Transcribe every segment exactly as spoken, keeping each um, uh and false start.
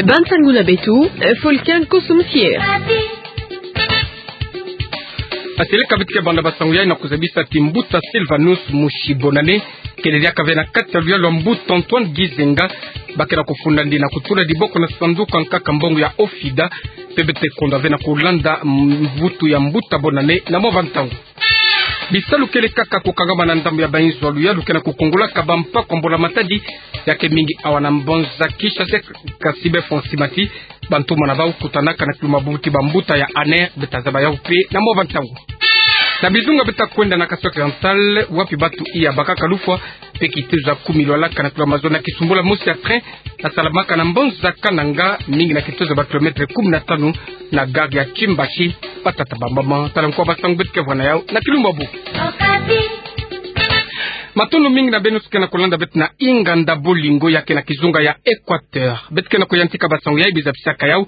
Bansangu na beto, Fulcan Kosum Sier. Aseleka beto ke banda basangu yai na kuzabisa ti mbuta Sylvanus Mushi Bonane kele diaka ve na kati ya luyalu ya mbuta Antoine Gizenga, ba ke na kufunda ndi na kutula diboko na sanduku ya nkaka mbongo ya OFIDA, pe beto ke konda ve na kulanda mvutu ya mbuta Bonane na mwa bantangu. Bisalu kele kaka kukangama na ndambu ya bainzo ya luyalu ke na kukongolaka bampaku ya mbula matadi, ya ke mingi awa na mbanza Kinshasa, kasi be fonsi mati, bantumwa na bau kutanaka na kilumbu ya bubuti bambuta ya ANR, beto tazaba yau pe na mwa bantangu. Na bizunga beto ta kwenda na Kasaï Oriental, wapi batu iya bakaka lufwa, pe kitezo ya kumi lwalaka na kilumbu ya mazono ya kisumbula mosi ya train, yasalamaka na mbanza Kananga, mingi na kitezo ya ba kilomètre kumi na tanu na gare ya Kimbashi. Batata bamama, tala nkwa basangu beto ke vwa na yau na kilumbu ya buku. Matondo mingi na beno nyonso ke na kulanda beto na Inganda Bolingo ya ke na kizunga ya Équateur. Beto ke na kuyantika basangu yai, biza bisaka yau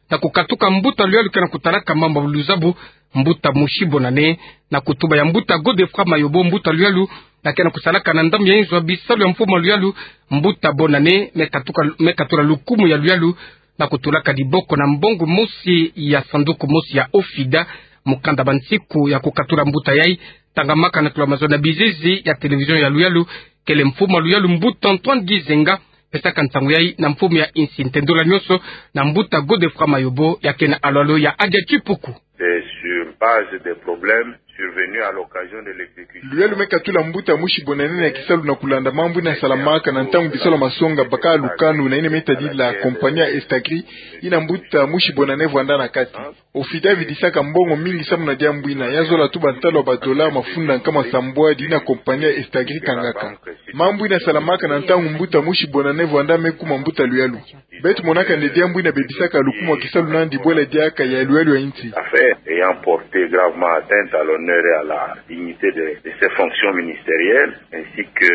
na kukatuka mbuta luyalu ke na kutalaka mambu ya luzabu, mbuta Mushi Bonane, na kutuba ya mbuta Godefroid Mayobo, mbuta luyalu ya ke na kusalaka na ndambu ya inzo ya bisalu ya mfumu ya luyalu, mbuta Bonane me katuka, me katula lukumu ya luyalu na kutulaka diboko na mbongo mosi ya sanduku mosi ya OFIDA. Mukanda bansiku ya kukatula mbuta yai tangamaka na kilumbu ya mazono na bizizi ya télévision ya luyalu, kele mfumu ya luyalu mbuta Antoine Gizenga pesaka nsangu yai na mfumu ya insi. Ntendola nyonso na mbuta Godefroid Mayobo ya ke na alwalo ya Adia Tipuku. C'est sur base des problèmes survenus à l'occasion de l'exécution. Luyalu me katula mbuta Mushi Bonane ya kisalu na kulanda mambu ina salamaka na ntangu bisalu ya masonga baka lukanu na ina me tadila compagnie ya Estagri, ina mbuta Mushi Bonane vwanda na kati. OFIDA vidisaka mbongo mingi samu na diambu ina, ya zola tuba ntalu ya ba dollars mafunda nkama sambwadi ina compagnie ya Estagri kangaka. Mambu ina salamaka na ntangu mbuta Mushi Bonane vwanda me kuma mbuta luyalu. Beto monaka nde diambu ina bebisaka lukumu ya kisalu nandi bwela diaka ya luyalu ya insi. Affaire ayant porté gravement atteinte à l'honneur et à la dignité de, de ses fonctions ministérielles, ainsi que,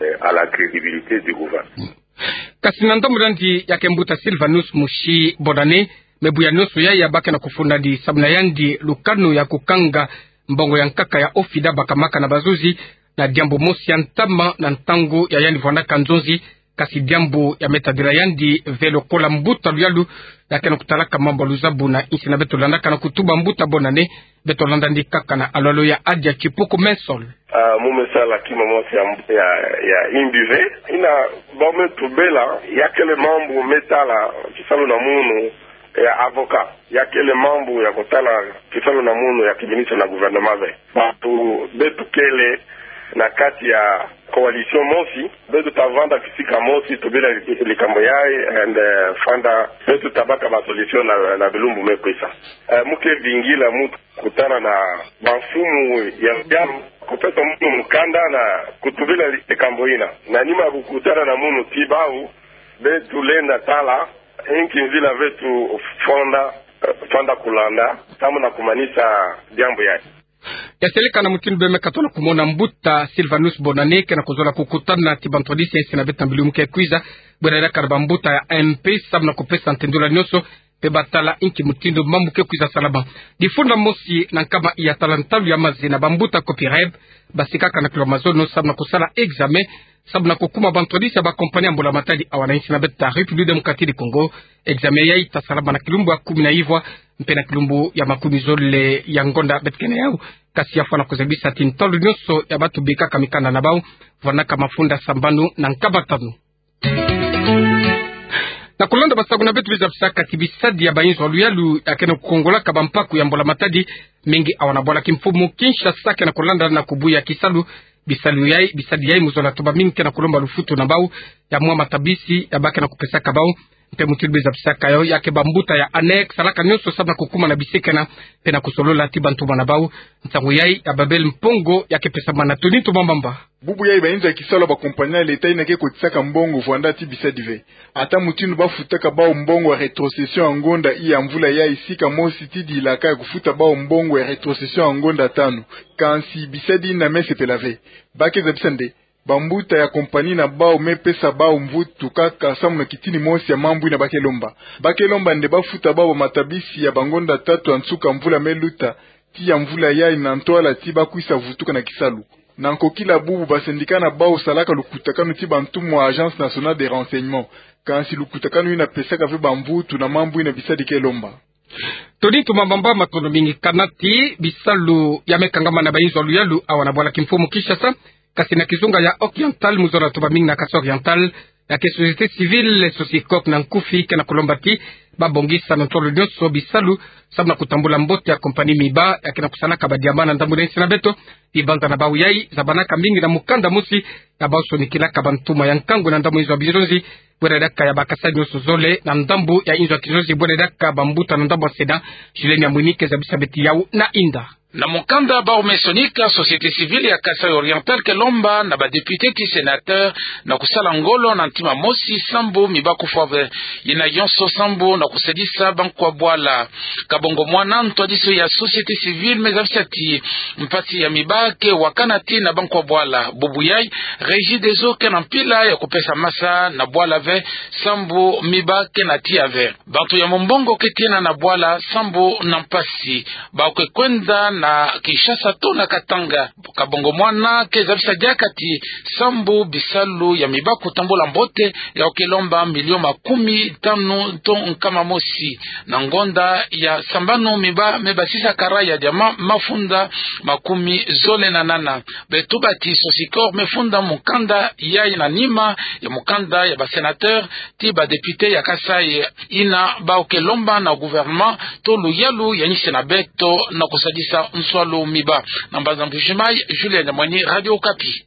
euh, à la crédibilité du gouvernement. Kasi na ndambu nandi ya ke mbuta Sylvanus Mushi Bonane, me buya nyonso yai ya ba ke na kufunda ndi samu na yandi lukanu ya kukanga mbongo ya nkaka ya OFIDA bakamaka na bazuzi, na diambu mosi ya ntama na ntangu ya yandi vwandaka nzonzi, kasi diambu ya me tadila yandi ve lokola mbuta luyalu ya ke na kutalaka mambu ya luzabu na insi. Na beto landaka na kutuba mbuta Bonane, beto landa ndi kaka na alwalo ya Adia Tipuku Mensol. Ah, mu me sala kima mosi ya, ya, ya imbi ve, ina bau me tubela, ya kele mambu me tala kisalu na munu ya avocat, ya kele mambu ya kutala kisalu na munu ya kiministre na gouvernement ve. Batu beto kele na kati ya coalition mosi, beto ta vanda kisika mosi, tubela likambo yai, and, eh, fanda beto ta baka ba solution na, na bilumbu me kwisa. Eh, mu ke vingila mutu kutana na bamfumu ya, ya kupesa munu mukanda na kutubela likambo ina. Na nima ya kukutana na munu ti bau, beto lenda tala inki nzila beto fanda, eh, fanda kulanda samu na kumanisa diambu yai. Ya seleka na mutindu bê me katola kumona mbuta Sylvanus Bonane ke na kuzola kukutana ti bantwadisi ya insi na beto na bilumbu ke kwiza, bwela yalaka na bambuta ya MP samu na kupesa ntendola nyonso, pe batala inki mutindu mambu ke kwiza salama. Difunda mosi na nkama iya tala ntalu ya maze na bambuta Copereb, basikaka na kilomètre mazono samu na kusala examen, samu na kukuma bantwadisi ya ba compagnie ya mbula matadi awa na insi na beto ya République Démocratique du Congo. Examen yai ta salama na kilumbu ya kumi na ivwa, mpe na kilumbu ya makumi zole ya ngonda beto ke na yau. Kasi ya fwana kuzabisa ti ntalu nyonso ya batu bikaka mikanda na bau, vwanaka mafunda sambanu na nkama tanu. Na kulanda basangu na beto, biza bisaka ti bisadi ya bainzo ya luyalu ya ke na kukongolaka bampaku ya mbula matadi, mingi awa na bwala kimfumu Kinshasa ke na kulanda na kubuya kisalu. Bisalu yai, bisadi yai mu zola tuba mingi ke na kulomba lufutu na bau ya mwa matabisi ya ba ke na kupesaka bau. Mpe mutindu biza bisaka yo, ya ke bambuta ya ANR salaka nyonso samu na kukuma na bisikana, mpe na kusolola ti bantumwa na bau. Nsangu yai ya Babel Mpongo ya ke pesamana na Tony Tumambamba. Bubu yai bainzo ya kisalu ya ba compagnie ya leta ina ke kotisaka mbongo vwanda ti bisadi ve. Ata mutindu bafutaka bau mbongo ya rétrocession ya ngonda iya mvula yai sika mosi ti dilaka ya kufuta bau mbongo ya rétrocession ya ngonda tanu. Kansi bisadi ina me sepela ve. Ba ke zabisa nde bambuta ya compagnie na bau me pesa bau mvutu kaka samu na kitini mosi ya mambu ina ba ke lomba. Ba ke lomba nde bafuta bau bamatabisi ya bangonda tatu ya nsuka mvula me luta, ti ya mvula yai na ntwala ti bakwisa vutuka na kisalu. Na nkokila bubu, ba syndicat na bau salaka lukutakanu ti bantumwa Agence Nationale de Renseignement. Kansi lukutakanu yina pesaka ve bamvutu na mambu yina bisadika e lomba. Toni Tumba Mamba, matondo mingi. Kana ti bisalu ya me kangama na bainzo ya luyalu awa na bwala kimfumu Kinshasa, kasi na kizunga ya Oriental, mu zola tuba mingi na Kasaï Oriental, ya ke société civile, Socicoop na nkufi, ke na kulomba ti ba bongisa na ntolo nyonso bisalu samu na kutambula mbote ya compagnie Miba, ya ke na kusalaka ba diamant na ndambu na insi na beto. Bibanza na bau yai zabanaka mingi na mukanda mosi ya bau sonikilaka bantumwa ya nkangu na ndambu inzo ya bizonzi, bwela diaka ya ba Kasaï nyonso zole, na ndambu ya inzo ya kizonzi, bwela diaka bambuta na ndambu ya Sénat. Julienne Amwini ke zabisa beto yau na inda. Na mukanda bau me sonika, société civile ya Kasaï Oriental ke lomba na ba député ti sénateur na kusala ngolo na ntima mosi sambu miba kufwa ve. Yina yonso sambu na kusadisa bankwa bwala. Kabongo mwana, ntwadisi ya société civile me zabisa ti mpasi ya miba ke wakana ti na bankwa bwala. Bubu yai, Regideso ke na mpila ya kupesa masa na bwala ve sambu miba ke na tiya ve. Bantu ya mumbongo ke tiena na bwala sambu na mpasi. Bau ke kwenda na Kinshasa to na Katanga. Kabongo mwana ke zabisa diaka ti sambu bisalu ya miba kutambula mbote, yau ke lomba million makumi tanu to nkama mosi. Na ngonda ya sambanu, miba me basisa kara ya diamant mafunda makumi zole na nana. Beto tuba ti Socicoop me funda mukanda yai na nima ya mukanda ya ba sénateur ti ba député ya Kasaï, yina bau ke lomba na gouvernement to luyalu ya insi na beto na kusadisa nswalu miba. Na mbanza Mbuji-Mayi, Julienne Amwini, Radio Okapi.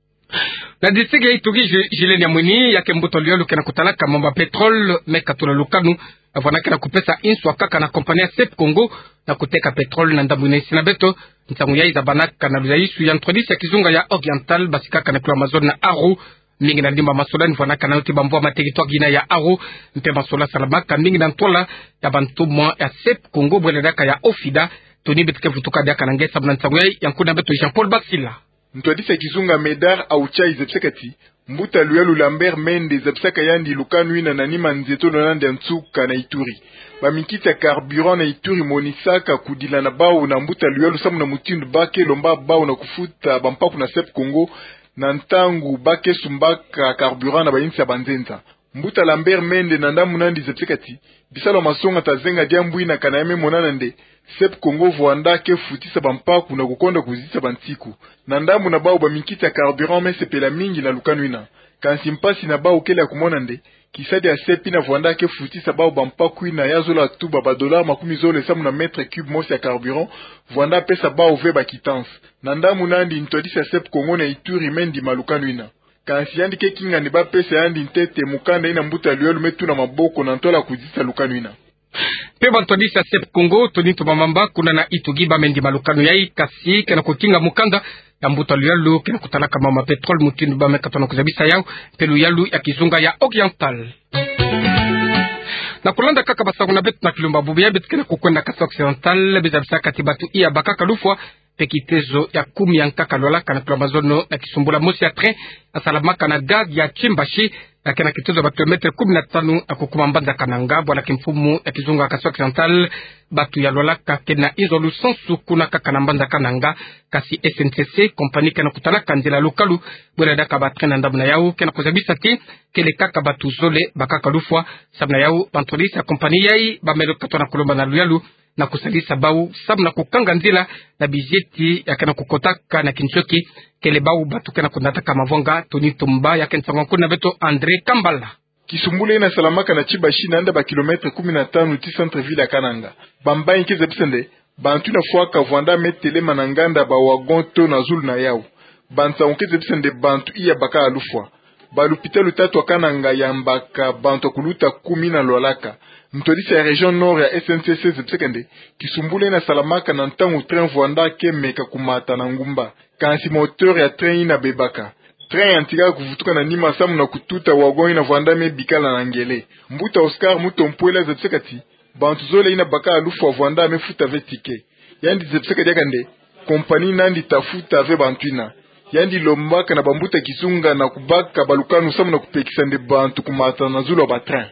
Na district ya Ituri, Ju-, Julienne Amwini, ya ke mbuta luyalu ke na kutalaka mambu ya pétrole me katula lukanu, vwanda ke na kupesa inswa kaka na compagnie ya Sep Congo na kuteka pétrole na ndambu na insi na beto. Nsangu yai zabanaka na luzaisu ya ntwadisi ya kizunga ya Oriental, basikaka na kilo Amazone na Aru. Mingi na ndimba masolani vwanaka nano ti bamvwa ma territoire yina ya Aru, mpe masola salamaka mingi na ntwala ya bantumwa ya Sep Congo, bwela diaka ya OFIDA. Toni beto ke vutuka diaka na nge samu na nsangu yai, ya nkuna beto Jean-Paul Basila. Ntwadisi ya kizunga Médard Aouchai zabisaka ti mbuta luyalu Lambert Mende zabisaka yandi lukanu yina na nima nzietolo na yandi ya nsuka na Ituri. Baminkiti ya carburant na Ituri monisaka kudila na bau na mbuta luyalu samu na mutindu ba ke lomba bau na kufuta bampaku na Sep Congo na ntangu ba ke sumbaka carburant na bayinsi ya banzenza. Mbuta Lambert Mende na ndambu na yandi zabisaka ti bisalu ya masonga ta zenga diambu yina kana ya me monana nde Sep Congo vwanda ke futisa bampaku na kukonda kuzitisa bansiku. Na ndambu na bau, baminkiti ya carburant me sepela mingi na lukanu yina. Kansi mpasi na bau kele ya kumona nde kisadi ya Sep yina vwanda ke futisa bau bampaku yina ya zola tuba ba dollars makumi zole samu na mètre cube mosi ya carburant, vwanda pesa bau ve ba quittance. Na ndambu na yandi, ntwadisi ya Sep Congo na Ituri me ndima lukanu yina. Kansi yandi ke kinga nde ba pesa yandi ntete mukanda yina mbuta luyalu me tuna maboko na ntwala kuzitisa lukanu yina. Mpe bantwadisi ya Sep Congo, Toni Tumba Mamba, kuna na Ituri, ba me ndima lukanu yai, kasi ke na kukinga mukanda ya mbuta luyalu ke na kutalaka mambu ya pétrole, mutindu ba me katono kuzabisa yau, mpe luyalu ya kizunga ya Oriental. Na kulanda kaka basangu na beto na kilumbu bubu yai, beto ke na kukwenda Kasai Occidental, be zabisaka ti bantu iya bakaka lufwa, mpe kitezo ya kumi ya nkaka lwalaka na kilo Amazone na kisumbula mosi ya train yasalamaka na gare ya Chimbashi, ya ke na kitezo ya ba kilomètre kumi na tanu ya kukuma mbanza Kananga, bwala kimfumu ya kizunga Kasai Occidental. Bantu ya lwalaka ke na inzo lusansu kuna kaka na mbanza Kananga, kasi S N C C, compagnie ke na kutalaka nzila ya lukalu, bwela diaka ba train na ndambu na yau, ke na kuzabisa ti kele kaka bantu zole bakaka lufwa. Samu na yau, bantwadisi ya compagnie yai ba me katono kulomba na luyalu na kusalisa bau samu na kukanga nzila na bizieti ya ke na kukotaka na kinshoki, kele bau bantu ke na kunataka mavwanga. Toni Tumba, ya ke nsangu ya nkuna beto André Kambala. Kisumbula yina salamaka na Chimbashi, na yanda ba kilomètre kumi na tanu ti centre-ville ya Kananga. Bambangi ke zabisa nde bantu yina fwaka vwanda me telema na nganda ba wagon to na zulu na yau. Bansangu ke zabisa nde bantu iya bakaka lufwa. Ba lupitalu tatu ya Kananga yambaka bantu ya kuluta kumi yina lwalaka. Ntwadisi ya région Nord ya S N C C zabisaka nde kisumbula yina salamaka na ntangu train vwanda ke meka kumata na ngumba. Kansi moteur ya train yina bebaka. Train yantikaka kuvutuka na nima samu na kututa wagon yina vwanda me bikala na ngele. Mbuta Oscar Mutompwela zabisaka ti bantu zole yina bakaka lufwa vwanda me futa ve ticket. Yandi zabisaka diaka nde compagnie na yandi ta futa ve bantu yina. Yandi lombaka na bambuta kizunga na kubaka balukanu samu na kupekisa nde bantu kumata na zulu ya ba train.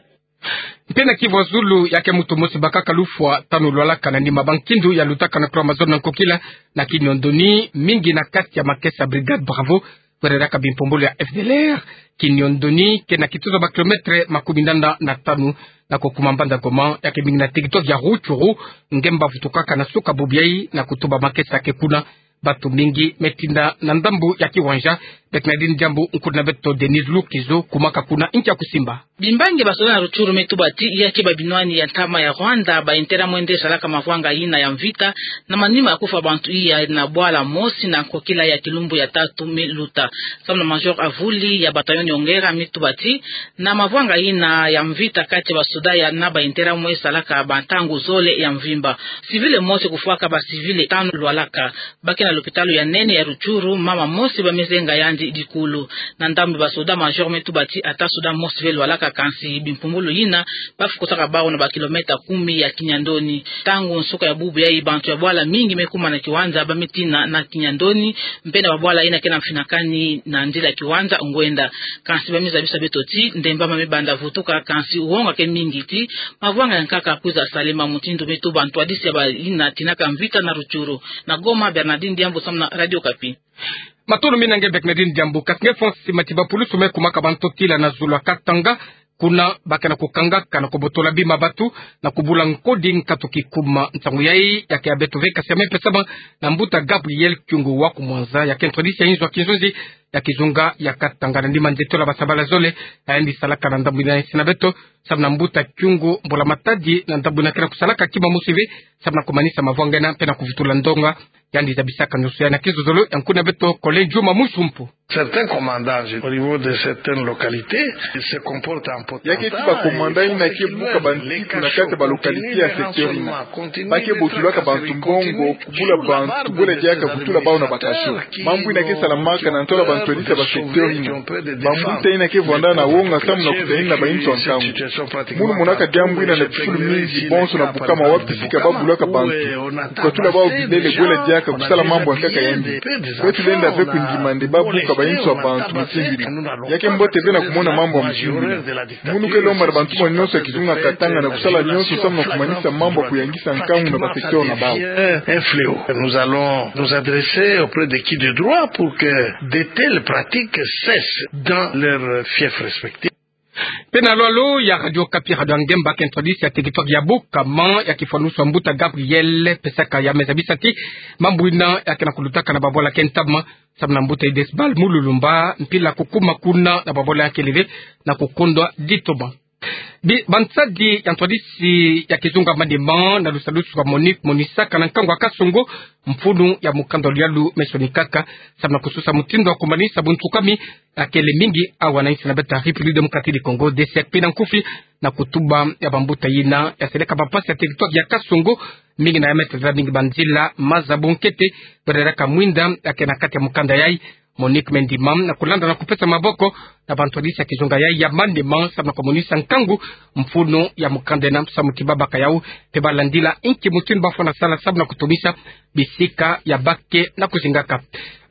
Mpe na Kivu ya zulu, ya ke mutu mosi bakaka lufwa tanu lwalaka na nima ba nkindu ya lutaka na kula mazono na nkokila na kiniondoni mingi na kati ya makesa Brigade Bravo, wereraka bimpumbulu ya F D L R. Kiniondoni ke na kituza ba kilometre makumi nana na tanu na kokuma mbanda Goma, ya ke mingi na territoire ya Rutshuru, nge mba vutukaka na suka bubu yayi na kutuba makesa ke kuna. Batu mingi me tinda na ndambu ya kiwanja. Bernardine Diambu, nkulu na beto Denise Lukizo, kumaka kuna, nkia kusimba. Bimbangi basoda na Rutshuru me tuba ti ya ke ba binwani ya ntama ya Rwanda ba intera mwende salaka mavwanga yina ya mvita, na manima ya kufwa bantu iya na bwala mosi na nkokila ya kilumbu ya tatu me luta. Samu na Major Avuli ya bataillon Nyongera me tuba ti, na mavwanga yina ya mvita kati ya basoda ya na ba intera mwe salaka ba ntangu zole ya mvimba. Civil mosi kufwaka ba civil tanu lwalaka. Ba ke na lopitalo ya nene ya Rutshuru, mama mosi ba me zenga yandi dikulu. Na ndambu ya basoda, Major me tuba ti ata soda mosi ve lwalaka, kansi bimpumbulu yina ba fukusaka bawu na ba kilomètre kumi ya kiniondoni. Ntangu nsuka ya bubu yayi bantu ya bwala mingi me kuma na kiwanja, ba me tina na kiniondoni, mpe na ba bwala yina ke na mfinakani na nzila ya kiwanja ngwenda. Kansi ba me zabisa beto ti ndemba ma me banda vutuka, kansi wonga ke mingi ti mavwanga ya nkaka kwiza salema, mutindu me tuba ntwadisi ya bayina tinaka mvita na Rutshuru. Na Goma, Bernardine Diambu samu na Radio Okapi. Matondo mingi na nge Bernardine Diambu. Kasi nge Fonsi Matiba, pulusu me kumaka ba ntotila na zulu ya Katanga, kuna ba ke na kukangaka na kobotola bima batu na kubula nkodi nkatu kikuma. Nsangu yayi ya ke ya beto ve, kasi ya me pesama na mbuta Gabriel Kyungu wa ku Mwanza, ya ke ntwadisi ya inzo ya kinzonzi ya kizunga ya Katanga. Na ndima nzetola basabala zole, ya yandi salaka na ndambu yina ya insi na beto, samu na mbuta Kyungu, mbula matadi na ndambu yina ke na kusalaka kima mosi ve samu na kumanisa mavwanga yina mpe na kuvutula ndonga. Yandi zabisaka ndoso yayi na kizozolo ya nkulu na beto Kole Juma Musumpu. Certains commandants au niveau de certaines localités se comportent en potentates. Ya ke ti ba commandant yina ke buka bantu na kati ya ba localités ya secteur yina. Ba ke botulaka bantu mbongo, kubula bantu, bwela diaka kutula bawu na ba cachot. Mambu yina ke salamaka na ntola ba ntwadisi ya ba secteur yina. Bambuta yina ke vwanda na wonga samu na kutanina ba inzo ya nkangu. Munu monaka diambu yina na bifulu mingi, bonso na bukama wapi sika ba bulaka bantu, kukatula bawu bilele, bwela diaka kusala mambu ya nkaka yandi. Kwetu lenda ve kundima nde ba buka ba inzo ya bantu mutindu yina. Ya ke mbote ve na kumona mambu ya mutindu yina. Munu ke lomba na bantu mwa nyonso ya kizunga Katanga na kusala nyonso samu na kumanisa mambu ya kuyangisa nkangu na ba secteur na bawu. Un fléau. Nous allons nous adresser auprès de qui de droit pour que de telles pratiques cessent dans leurs fiefs respectifs. Mpe na lwalo ya Radio Okapi, Radio ya ngemba, ke ntwadisi ya territoire ya Bukama, ya kifwanusu ya mbuta Gabriel, pesaka ya me zabisa ti mambu yina ya ke na kulutaka na babwala ke ntama, samu na mbuta Idesbal Mululumba, mpila kukuma kuna na babwala ya kele ve na kukondwa ditoma. Bi, bansadi ya ntwadisi ya kizunga manima na lusadusu kwa Monique monisaka na nkangu ya Kasongo mfunu ya mukanda luyalu me sonikaka, samu na kususa mutindu wa kumanisa buntukami ya kele mingi awa na insi na beto ya République Démocratique du Congo, D C K P na nkufi, na kutuba ya bambuta yina ya seleka bampasi ya territoire ya Kasongo, mingi na ya me tazela mingi banzila maza bunkete, bwereraka mwinda ya ke na kati ya mukanda yayi. Monique me ndima na kulanda na kupesa maboko na bantwadisi ya kizunga yayi ya manima, samu na kumonisa nkangu mfunu ya mukanda yina, samu ti babaka yawu mpe balandila inki mutindu bafwana sala samu na kutumisa bisika ya ba ke na kuzingaka.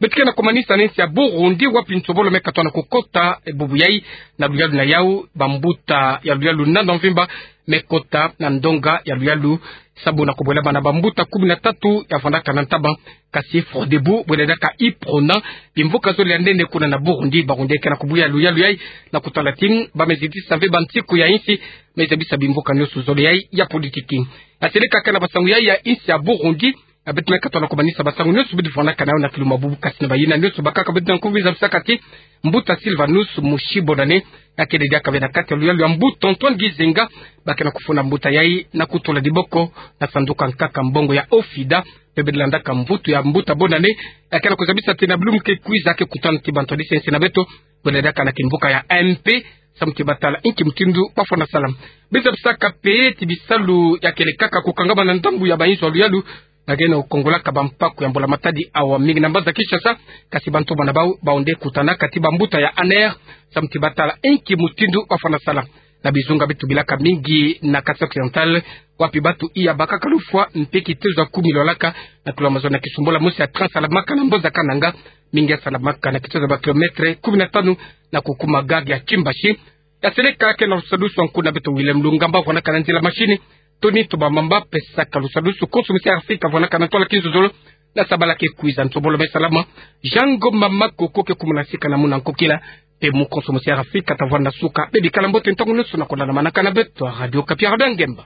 Beto ke na kumanisa na insi ya Burundi, wapi nsobolo me katoa na kukota, e, bubu yayi, na luyalu na yawu bambuta ya luyalu nana mvimba me kota na ndonga ya luyalu, samu na kubwelama na bambuta kumi na tatu ya vandaka na ntama, kasi Frodebu, bwela diaka UPRONA, bimvuka zole ya nene kuna na Burundi. Barundi ke na kubuya luyalu yayi na kutala ti ba me zitisa ve bansiku ya insi me zabisa bimvuka nyonso zole yayi ya politiki. Ya seleka kaka na basangu yayi ya insi ya Burundi, ya beto me katoa na kumanisa basangu nyonso beto vandaka na yawu na kiluma bubu, kasi na bayina nyonso bakaka beto na nkufi, zabisaka ti mbuta Sylvanus Mushi Bonane, ya kele diaka ve na kati ya luyalu ya mbuta Antoine Gizenga, ba ke na kufunda mbuta yayi na kutula diboko na sanduku ya nkaka mbongo ya OFIDA, mpe beto landaka mvutu ya mbuta Bonane, ya ke na kuzabisa ti na bilumbu ke kwiza ke kutana ti bantwadisi ya insi na beto, bwela diaka na kimvuka ya M P, samu ti batala inki mutindu bafwana sala. Beto zabisaka mpe ti bisalu ya kele kaka kukangama na ndambu ya bainzo ya luyalu, na ke na kukongolaka bampaku ya mbula matadi awa mingi na mbanza Kinshasa, kasi bantoma na bawu, bawu nde kutanaka ti bambuta ya ANR, samu ti batala inki mutindu bafwana sala. Na bizunga beto bilaka mingi na Kasai Occidental, wapi batu iya bakaka lufwa mpe kitezo ya kumi lwalaka na kilomètre mazono na kisumbula mosi ya train salamaka na mbanza Kananga, mingi ya salamaka na kitezo ya ba kilomètre kumi na tanu na kukuma gare ya Kimbashi. Kaseleka ke na lusadusu a nkuna beto William Lungamba, vwanakana nzila mashini. Tony Tobamamba, pesaka lusadusu. Konso Musi Afrika, vwanakana ntwala kinzozolo. Na sabala ke kwiza, nsobolo me salama. Jango Mama Koko ke kumuna sika na muna nkokila. Temu Konso Musi Afrika, tavwanda suka. Bebi kala mbote, ntangu nyoso na kolana manaka na beto a Radio Okapi, Radio Ngemba.